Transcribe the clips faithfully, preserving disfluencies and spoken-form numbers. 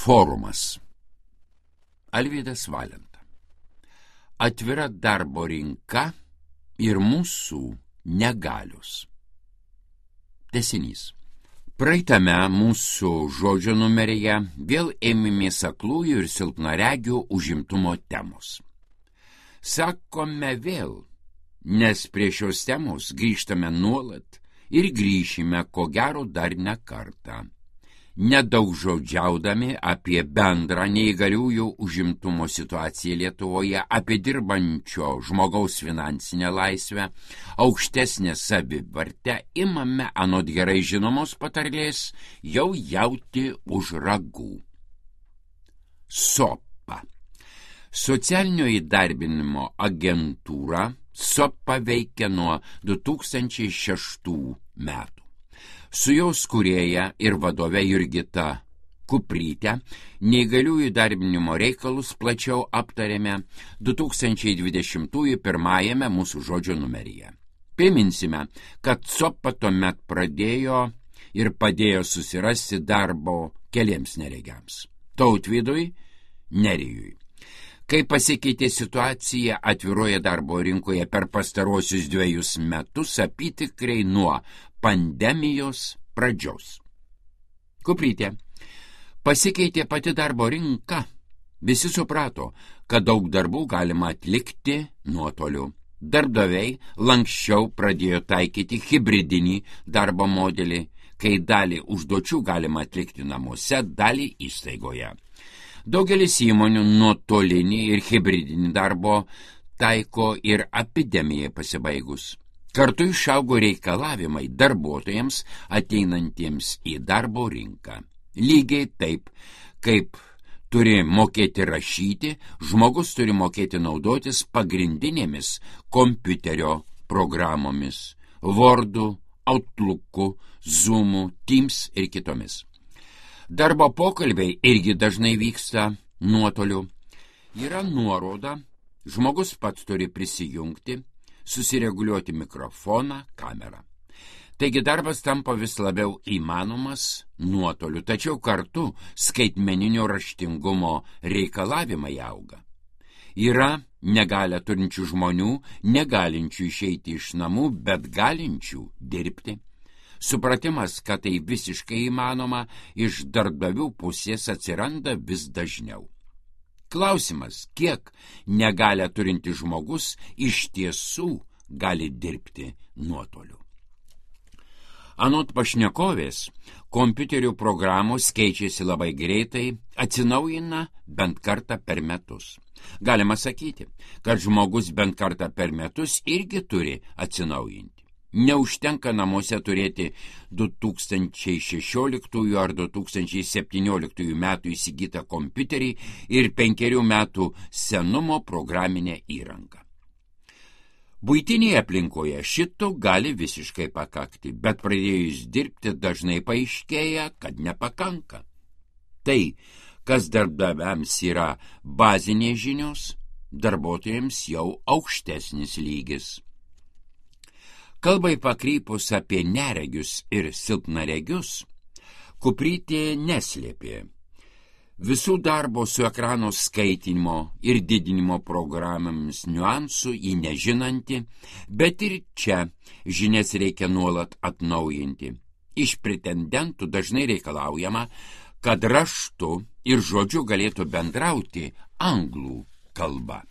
Forumas. Alvydas Valenta. Atvira darbo rinka ir mūsų negalios. Tęsinys. Praeitame mūsų žodžio numeryje vėl ėmėmės aklųjų ir silpnaregių užimtumo temos. Sakome vėl, nes prie šios temos grįžtame nuolat ir grįšime ko gero dar ne kartą. Nedaug žodžiaudami apie bendrą neįgaliųjų užimtumo situaciją Lietuvoje, apie dirbančio žmogaus finansinę laisvę, aukštesnę savivertę, imame anot gerai žinomos patarlės jau jauti už ragų. SOPA. Socialinio įdarbinimo agentūra SOPA veikia nuo du tūkstančiai šeštų metų. Su jos kūrėja ir vadove Jurgita Kupryte neįgaliųjų įdarbinimo reikalus plačiau aptarėme du tūkstančiai dvidešimtųjų pirmajame mūsų žodžio numeryje. Priminsime, kad SOPA tuomet pradėjo ir padėjo susirasti darbo keliems neregiams – Tautvydui, Nerijui. Kai pasikeitė situacija atviroje darbo rinkoje per pastaruosius dviejus metus apytikriai nuo pandemijos pradžios. Kuprytė. Pasikeitė pati darbo rinka. Visi suprato, kad daug darbų galima atlikti nuotoliu. Darbdaviai lanksčiau pradėjo taikyti hibridinį darbo modelį, kai dalį užduočių galima atlikti namuose, dalį įstaigoje. Daugelis įmonių nuotolinį ir hibridinį darbo taiko ir epidemijai pasibaigus. Kartu išaugo reikalavimai darbuotojams ateinantiems į darbo rinką. Lygiai taip, kaip turi mokėti rašyti, žmogus turi mokėti naudotis pagrindinėmis kompiuterio programomis – Wordu, Outlooku, Zoomu, Teams ir kitomis. Darbo pokalbiai irgi dažnai vyksta nuotoliu. Yra nuoroda, žmogus pats turi prisijungti, susireguliuoti mikrofoną, kamerą. Taigi darbas tampa vis labiau įmanomas nuotoliu, tačiau kartu skaitmeninio raštingumo reikalavimai auga. Yra negalią turinčių žmonių, negalinčių išeiti iš namų, bet galinčių dirbti. Supratimas, kad tai visiškai įmanoma, iš darbdavių pusės atsiranda vis dažniau. Klausimas, kiek negalią turinti žmogus iš tiesų gali dirbti nuotoliu. Anot pašnekovės, kompiuterių programos keičiasi labai greitai, atsinaujina bent kartą per metus. Galima sakyti, kad žmogus bent kartą per metus irgi turi atsinaujinti. Neužtenka namuose turėti du tūkstančiai šešioliktųjų ar du tūkstančiai septynioliktųjų metų įsigytą kompiuterį ir penkerių metų senumo programinę įrangą. Buitinėje aplinkoje šito gali visiškai pakakti, bet pradėjus dirbti dažnai paaiškėja, kad nepakanka. Tai, kas darbdaviams yra bazinės žinios, darbuotojams jau aukštesnis lygis. Kalbai pakrypus apie neregius ir silpnaregius, Kuprytė neslėpė visų darbo su ekrano skaitinimo ir didinimo programomis niuansų į nežinanti, bet ir čia žinias reikia nuolat atnaujinti. Iš pretendentų dažnai reikalaujama, kad raštu ir žodžiu galėtų bendrauti anglų kalba.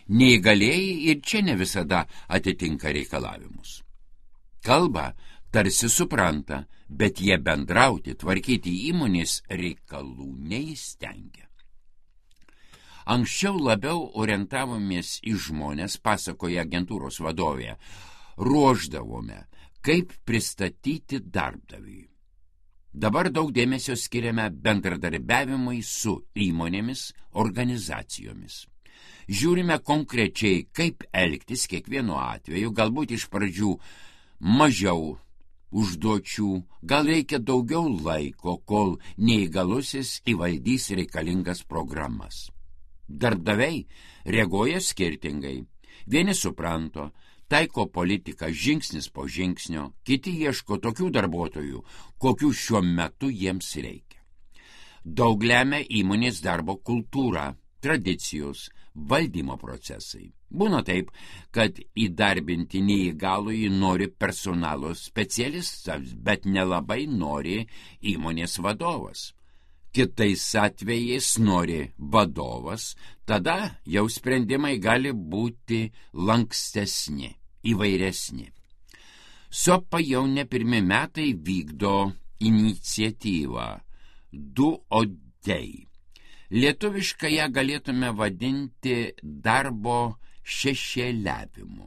Neįgalieji ir čia ne visada atitinka reikalavimus. Kalbą tarsi supranta, bet jie bendrauti, tvarkyti įmonės reikalų neįstengia. Anksčiau labiau orientavomės į žmonės, pasakoja agentūros vadovė, ruošdavome, kaip pristatyti darbdaviui. Dabar daug dėmesio skiriame bendradarbiavimui su įmonėmis, organizacijomis. Žiūrime konkrečiai, kaip elgtis kiekvienu atveju, galbūt iš pradžių mažiau užduočių, gal reikia daugiau laiko, kol neįgalusis įvaldys reikalingas programas. Darbdaviai reaguoja skirtingai. Vieni supranto, taiko politiką žingsnis po žingsnio, kiti ieško tokių darbuotojų, kokių šiuo metu jiems reikia. Daug lemia įmonės darbo kultūra, tradicijos, valdymo procesai. Būna taip, kad įdarbinti neįgalųjį nori personalo specialistas, bet nelabai nori įmonės vadovas. Kitais atvejais nori vadovas, tada jau sprendimai gali būti lankstesni, įvairesni. Sopa jau ne pirmi metai vykdo iniciatyvą Du odei. Lietuviškai ją galėtume vadinti darbo šešėliavimu.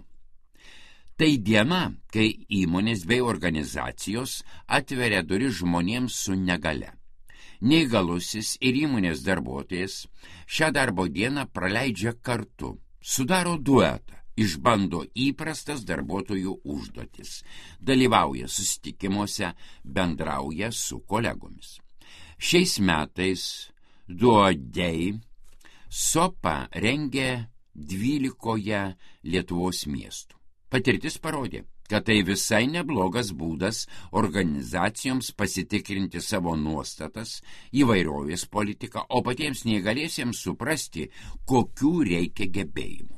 Tai diena, kai įmonės bei organizacijos atveria duris žmonėms su negale. Neįgalusis ir įmonės darbuotojas šią darbo dieną praleidžia kartu, sudaro duetą, išbando įprastas darbuotojų užduotis, dalyvauja susitikimuose, bendrauja su kolegomis. Šiais metais Du odei Sopa rengia dvylikoje Lietuvos miestų. Patirtis parodė, kad tai visai neblogas būdas organizacijoms pasitikrinti savo nuostatas, įvairovės politiką, o patiems neįgaliesiems suprasti, kokių reikia gebėjimų.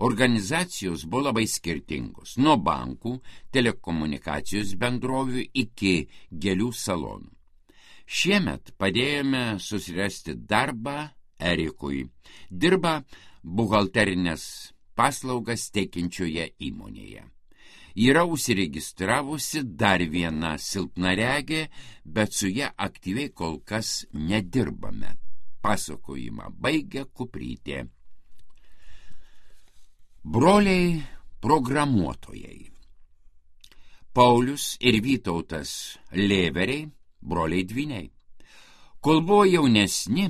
Organizacijos buvo labai skirtingos, nuo bankų, telekomunikacijos bendrovių iki gėlių salonų. Šiemet padėjome susirasti darbą Erikui. Dirba buhalterinės paslaugas teikiančioje įmonėje. Yra užsiregistravusi dar viena silpnaregė, bet su ja aktyviai kol kas nedirbame. Pasakojimą baigia Kuprytė. Broliai programuotojai. Paulius ir Vytautas Lėveriai, broliai dvyniai. Kol buvo jaunesni,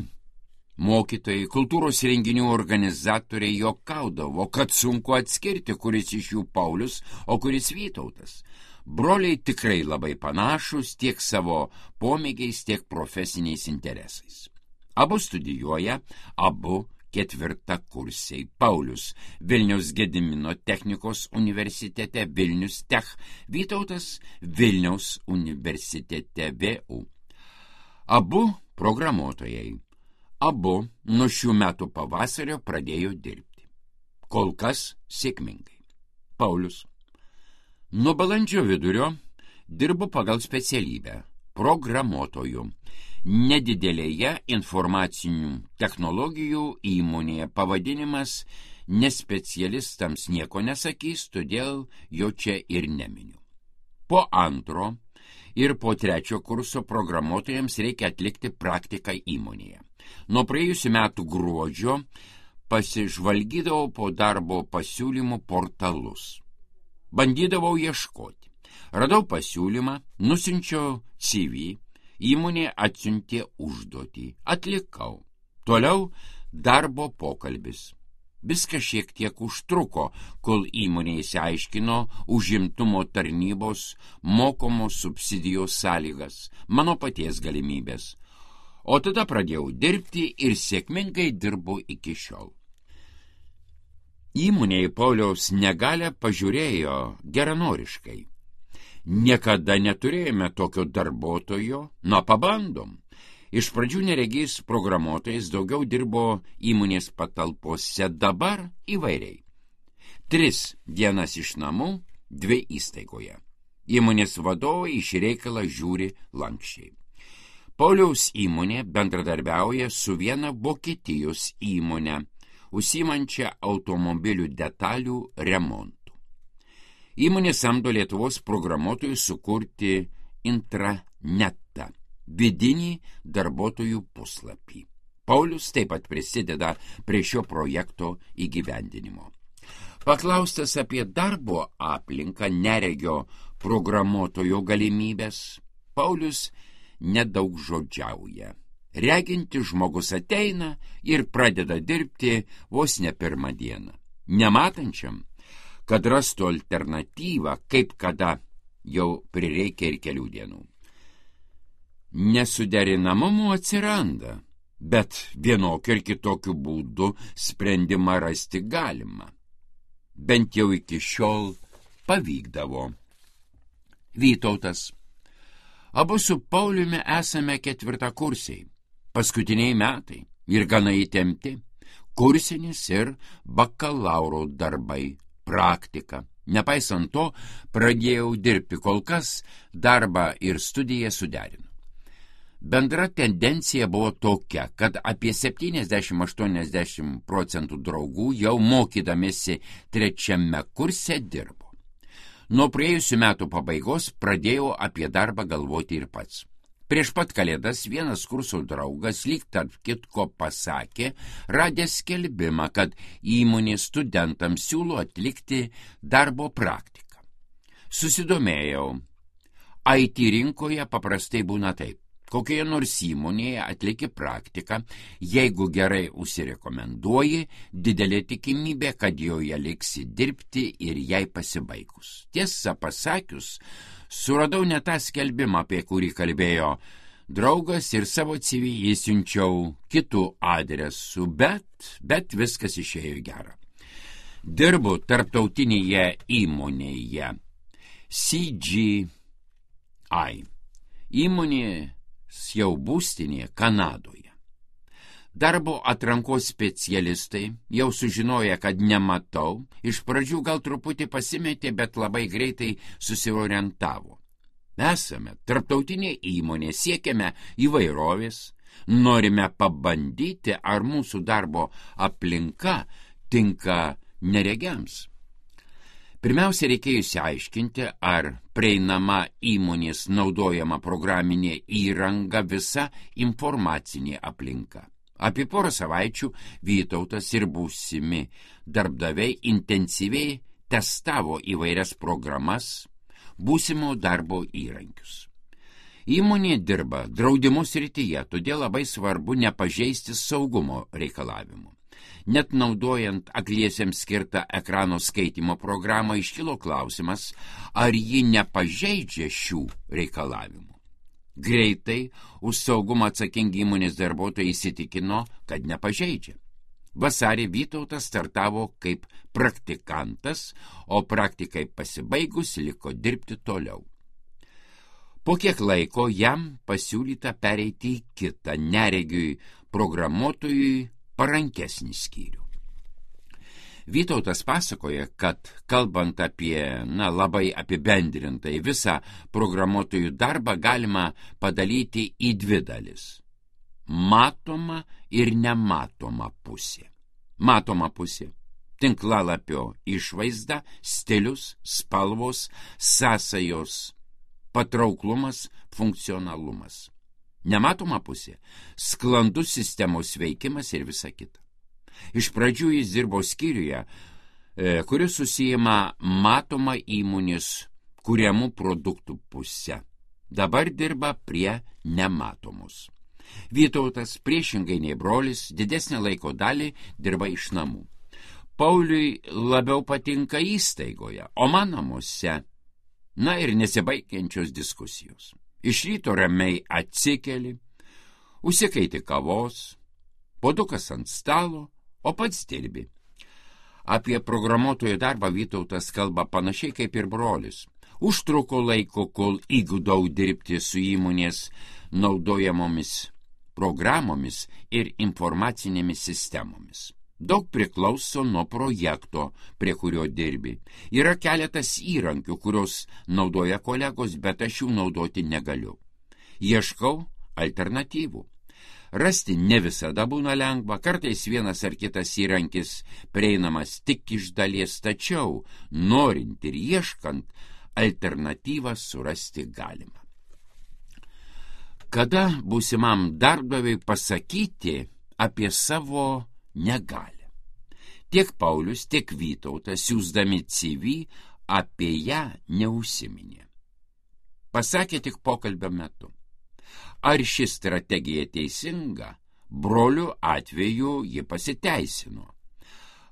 mokytojai, kultūros renginių organizatoriai juokaudavo, kad sunku atskirti, kuris iš jų Paulius, o kuris Vytautas. Broliai tikrai labai panašus tiek savo pomėgiais, tiek profesiniais interesais. Abu studijuoja, abu ketvirtakursiai. Paulius Vilniaus Gedimino technikos universitete Vilnius Tech, Vytautas Vilniaus universitete V U. Abu programuotojai. Abu nuo šių metų pavasario pradėjo dirbti. Kol kas sėkmingai. Paulius. Nuo balandžio vidurio dirbu pagal specialybę programuotojų. Nedidelėje informacinių technologijų įmonėje. Pavadinimas nespecialistams nieko nesakys, todėl jo čia ir neminiu. Po antro ir po trečio kurso programuotojams reikia atlikti praktiką įmonėje. Nuo praėjusių metų gruodžio pasižvalgydavau po darbo pasiūlymų portalus. Bandydavau ieškoti. Radau pasiūlymą, nusinčiau C V, įmonė atsiuntė užduotį. Atlikau. Toliau darbo pokalbis. Viskas šiek tiek užtruko, kol įmonė įsiaiškino užimtumo tarnybos mokomos subsidijos sąlygas, mano paties galimybės. O tada pradėjau dirbti ir sėkmingai dirbu iki šiol. Įmonė į Pauliaus negalią pažiūrėjo geranoriškai. Niekada neturėjome tokio darbuotojo, na pabandom. Iš pradžių neregys programuotojas, daugiau dirbo įmonės patalpose, dabar įvairiai. Tris dienas iš namų, dvi įstaigoje. Įmonės vadovai iš reikalą žiūri lankščiai. Pauliaus įmonė bendradarbiauja su viena Vokietijos įmonė, užsiimančia automobilių detalių remontų. Įmonė samdo Lietuvos programuotojus sukurti intranetą, vidinį darbuotojų puslapį. Paulius taip pat prisideda prie šio projekto įgyvendinimo. Paklaustas apie darbo aplinką neregio programuotojo galimybės, Paulius nedaug žodžiauja. Reginti žmogus ateina ir pradeda dirbti vos ne pirmą dieną. Nematančiam, kad rastų alternatyvą, kaip kada jau prireikia ir kelių dienų. Nesuderinamumų atsiranda, bet vienokiu ir kitokiu būdu sprendimą rasti galima. Bent jau iki šiol pavykdavo. Vytautas. Abu su Pauliumi esame ketvirtakursiai. Paskutiniai metai ir gana įtempti, kursinis ir bakalauro darbai, praktika. Nepaisant to, pradėjau dirbti, kol kas darbą ir studiją suderinu. Bendra tendencija buvo tokia, kad apie septyniasdešimt aštuoniasdešimt procentų draugų jau mokydamėsi trečiame kurse dirbo. Nuo praėjusių metų pabaigos pradėjau apie darbą galvoti ir pats. Prieš pat kalėdas vienas kurso draugas lyg tarp kitko pasakė, radęs skelbimą, kad įmonė studentams siūlo atlikti darbo praktiką. Susidomėjau. I T rinkoje paprastai būna taip. Kokioje nors įmonėje atlieki praktiką, jeigu gerai užsirekomenduoji, didelė tikimybė, kad joje liksi dirbti ir jai pasibaigus. Tiesą pasakius, suradau ne tą skelbimą, apie kurį kalbėjo draugas ir savo C V įsiunčiau kitų adresų, bet, bet viskas išėjo gera. Dirbu tarptautinėje įmonėje C G I. Įmonė jau būstinėje Kanadoje. Darbo atrankos specialistai jau sužinoja, kad nematau, iš pradžių gal truputį pasimetė, bet labai greitai susiorientavo. Esame tarptautinė įmonė, siekiame įvairovės, norime pabandyti, ar mūsų darbo aplinka tinka neregiams. Pirmiausia, reikėjo išsiaiškinti, ar prieinama įmonės naudojama programinė įranga, visa informacinė aplinka. Apie porą savaičių Vytautas ir būsimi darbdaviai intensyviai testavo įvairias programas, būsimo darbo įrankius. Įmonė dirba draudimo srityje, todėl labai svarbu nepažeisti saugumo reikalavimų. Net naudojant akliesiems skirtą ekrano skaitimo programą iškilo klausimas, ar ji nepažeidžia šių reikalavimų. Greitai už saugumą atsakingi įmonės darbuotojai įsitikino, kad nepažeidžia. Vasarį Vytautas startavo kaip praktikantas, o praktikai pasibaigus liko dirbti toliau. Po kiek laiko jam pasiūlyta pereiti į kitą neregiui programuotojui parankesnį skyrių. Vytautas pasakoja, kad kalbant apie, na, labai apibendrintai visą programuotojų darbą galima padalyti į dvi dalis. Matoma ir nematoma pusė. Matoma pusė – tinklalapio išvaizda, stilius, spalvos, sąsajos, patrauklumas, funkcionalumas. Nematoma pusė – sklandus sistemos veikimas ir visa kita. Iš pradžių jis dirbo skyriuje, kuris susijima matoma įmonės kuriamų produktų pusę. Dabar dirba prie nematomos. Vytautas, priešingai nei brolis, didesnę laiko dalį dirba iš namų. Pauliui labiau patinka įstaigoje, o man namuose. Na ir nesibaigiančios diskusijos. Iš ryto ramiai atsikeli, užsikaiti kavos, puodukas ant stalo, o pats dirbi. Apie programuotojo darbą Vytautas kalba panašiai kaip ir brolis. Užtruko laiko, kol įgudau dirbti su įmonės naudojamomis programomis ir informacinėmis sistemomis. Daug priklauso nuo projekto, prie kurio dirbi. Yra keletas įrankių, kurios naudoja kolegos, bet aš jų naudoti negaliu. Ieškau alternatyvų. Rasti ne visada būna lengva, kartais vienas ar kitas įrankis prieinamas tik iš dalies, tačiau norint ir ieškant, alternatyvą surasti galima. Kada būsimam darbdaviui pasakyti apie savo negalią? Tiek Paulius, tiek Vytautas, siųsdami C V, apie ją neužsiminė. Pasakė tik pokalbio metu. Ar ši strategija teisinga? Brolių atveju ji pasiteisino.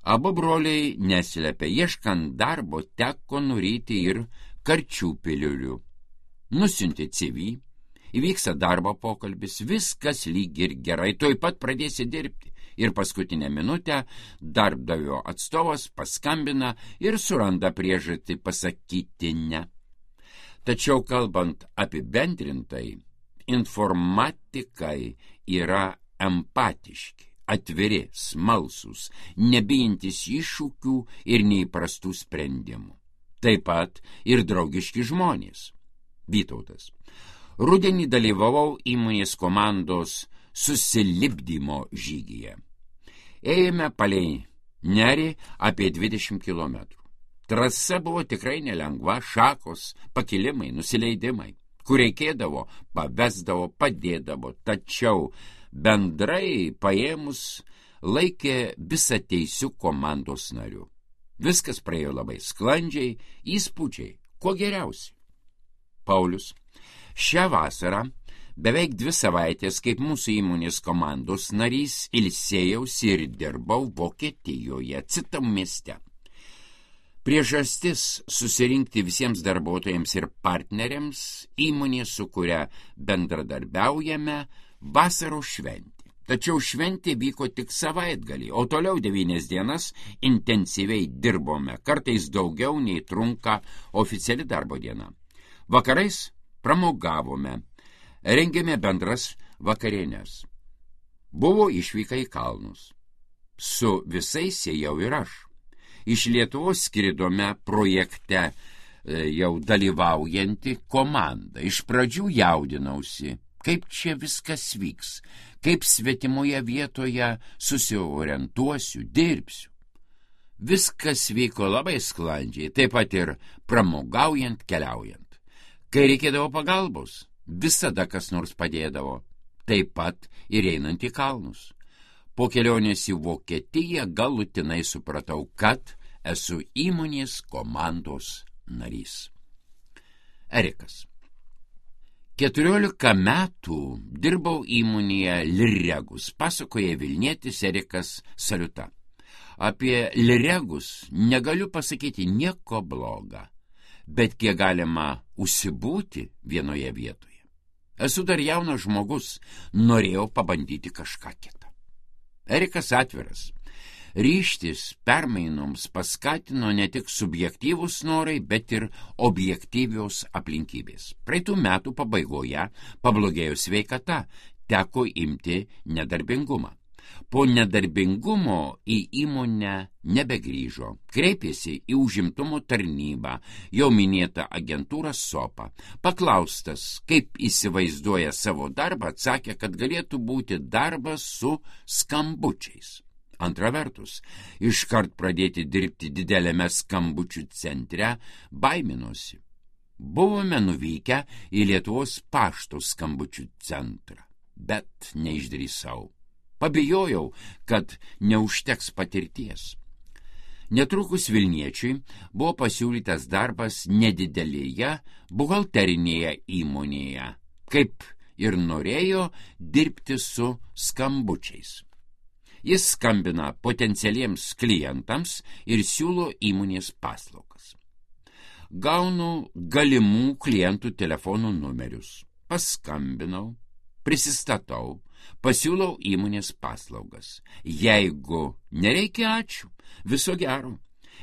Abu broliai neslėpė, ieškant darbo teko nuryti ir karčių piliulių. Nusiunti C V, įvyksta darbo pokalbis, viskas lyg ir gerai, tuoj pat pradėsi dirbti. Ir paskutinę minutę darbdavio atstovas paskambina ir suranda priežastį pasakyti ne. Tačiau kalbant apibendrintai, informatikai yra empatiški, atviri, smalsūs, nebijantis iššūkių ir neįprastų sprendimų. Taip pat ir draugiški žmonės. Vytautas. Rudenį dalyvavau įmonės komandos susilipdymo žygyje. Ėjome palei nerį apie dvidešimt kilometrų. Trasa buvo tikrai nelengva, šakos, pakilimai, nusileidimai, kur reikėdavo, pavesdavo, padėdavo, tačiau bendrai paėmus laikė visą teisių komandos narių. Viskas praėjo labai sklandžiai, įspūdžiai, kuo geriausi. Paulius. Šią vasarą beveik dvi savaitės kaip mūsų įmonės komandos narys ilsėjausi ir dirbau Vokietijoje, Citam mieste. Priežastis susirinkti visiems darbuotojams ir partneriams įmonė, su kuria bendradarbiaujame, vasaros šventė. Tačiau šventė vyko tik savaitgalį, o toliau devynias dienas intensyviai dirbome, kartais daugiau nei trunka oficiali darbo diena. Vakarais pramogavome, rengėme bendras vakarienes. Buvo išvyka į kalnus. Su visais ėjau ir aš. Iš Lietuvos skridome projekte jau dalyvaujanti komanda. Iš pradžių jaudinausi, kaip čia viskas vyks, kaip svetimoje vietoje susiorientuosiu, dirbsiu. Viskas vyko labai sklandžiai, taip pat ir pramogaujant, keliaujant. Kai reikėdavo pagalbos, visada kas nors padėdavo, taip pat ir einant į kalnus. Po kelionės į Vokietiją galutinai supratau, kad esu įmonės komandos narys. Erikas. Keturiolika metų dirbau įmonėje Liregus, pasakoja Vilnietis Erikas Saliuta. Apie Liregus negaliu pasakyti nieko bloga, bet kiek galima užsibūti vienoje vietoje. Esu dar jaunas žmogus, norėjau pabandyti kažką kitą. Erikas atviras. Ryžtis permainoms paskatino ne tik subjektyvūs norai, bet ir objektyvios aplinkybės. Praeitų metų pabaigoje pablogėjo sveikata, teko imti nedarbingumą. Po nedarbingumo į įmonę nebegrįžo. Kreipėsi į užimtumo tarnybą, jau minėtą agentūrą SOPA. Paklaustas, kaip įsivaizduoja savo darbą, atsakė, kad galėtų būti darbas su skambučiais. Antra vertus, iškart pradėti dirbti didelėme skambučių centre baiminosi. Buvome nuvykę į Lietuvos pašto skambučių centrą, bet neišdrįsau. Pabijojau, kad neužteks patirties. Netrukus Vilniečiui buvo pasiūlytas darbas nedidelėje buhalterinėje įmonėje, kaip ir norėjo dirbti su skambučiais. Jis skambina potencialiems klientams ir siūlo įmonės paslaugas. Gaunu galimų klientų telefonų numerius. Paskambinau, prisistatau, pasiūlau įmonės paslaugas. Jeigu nereikia, ačiū, viso gero.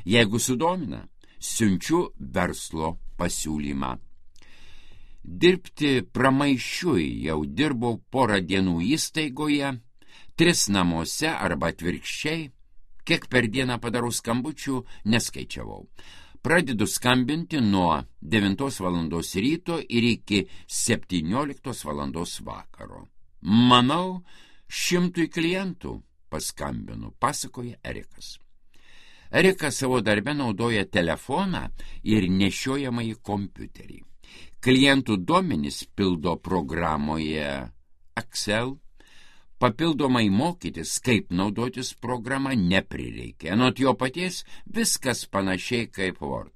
Jeigu sudomina, siunčiu verslo pasiūlymą. Dirbti pramaišiui jau dirbau porą dienų įstaigoje, tris namuose arba atvirkščiai, kiek per dieną padarau skambučių, neskaičiavau. Pradedu skambinti nuo devintos valandos ryto ir iki septynioliktos valandos vakaro. Manau, šimtui klientų paskambinu, pasakoja Erikas. Erikas savo darbe naudoja telefoną ir nešiojamąjį kompiuterį. Klientų duomenys pildo programoje Excel. Papildomai mokytis, kaip naudotis programą, neprireikė. Anot jo paties viskas panašiai kaip Word.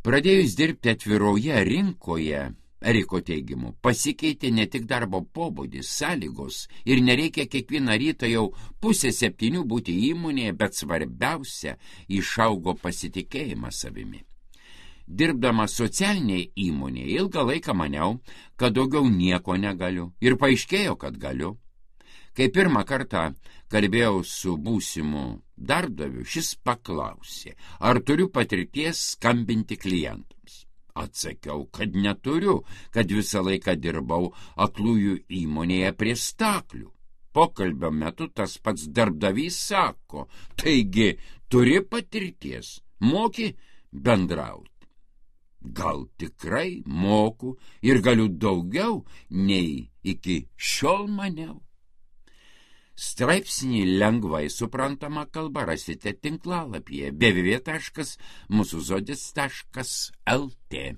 Pradėjus dirbti atviroje rinkoje, Eriko teigimu, pasikeitė ne tik darbo pobūdis, sąlygos ir nereikia kiekvieną rytą jau pusę septynių būti įmonėje, bet svarbiausia, išaugo pasitikėjimas savimi. Dirbdama socialiniai įmonėje ilgą laiką maniau, kad daugiau nieko negaliu ir paaiškėjo, kad galiu. Kai pirmą kartą kalbėjau su būsimu darbdaviu, šis paklausė, ar turiu patirties skambinti klientams. Atsakiau, kad neturiu, kad visą laiką dirbau aklųjų įmonėje prie staklių. Pokalbio metu tas pats darbdavys sako, taigi turi patirties, moki bendrauti. Gal tikrai moku ir galiu daugiau, nei iki šiol maniau. Straipsnį lengvai suprantama kalba rasite tinklalapyje w w w taškas mūsų žodis taškas l t.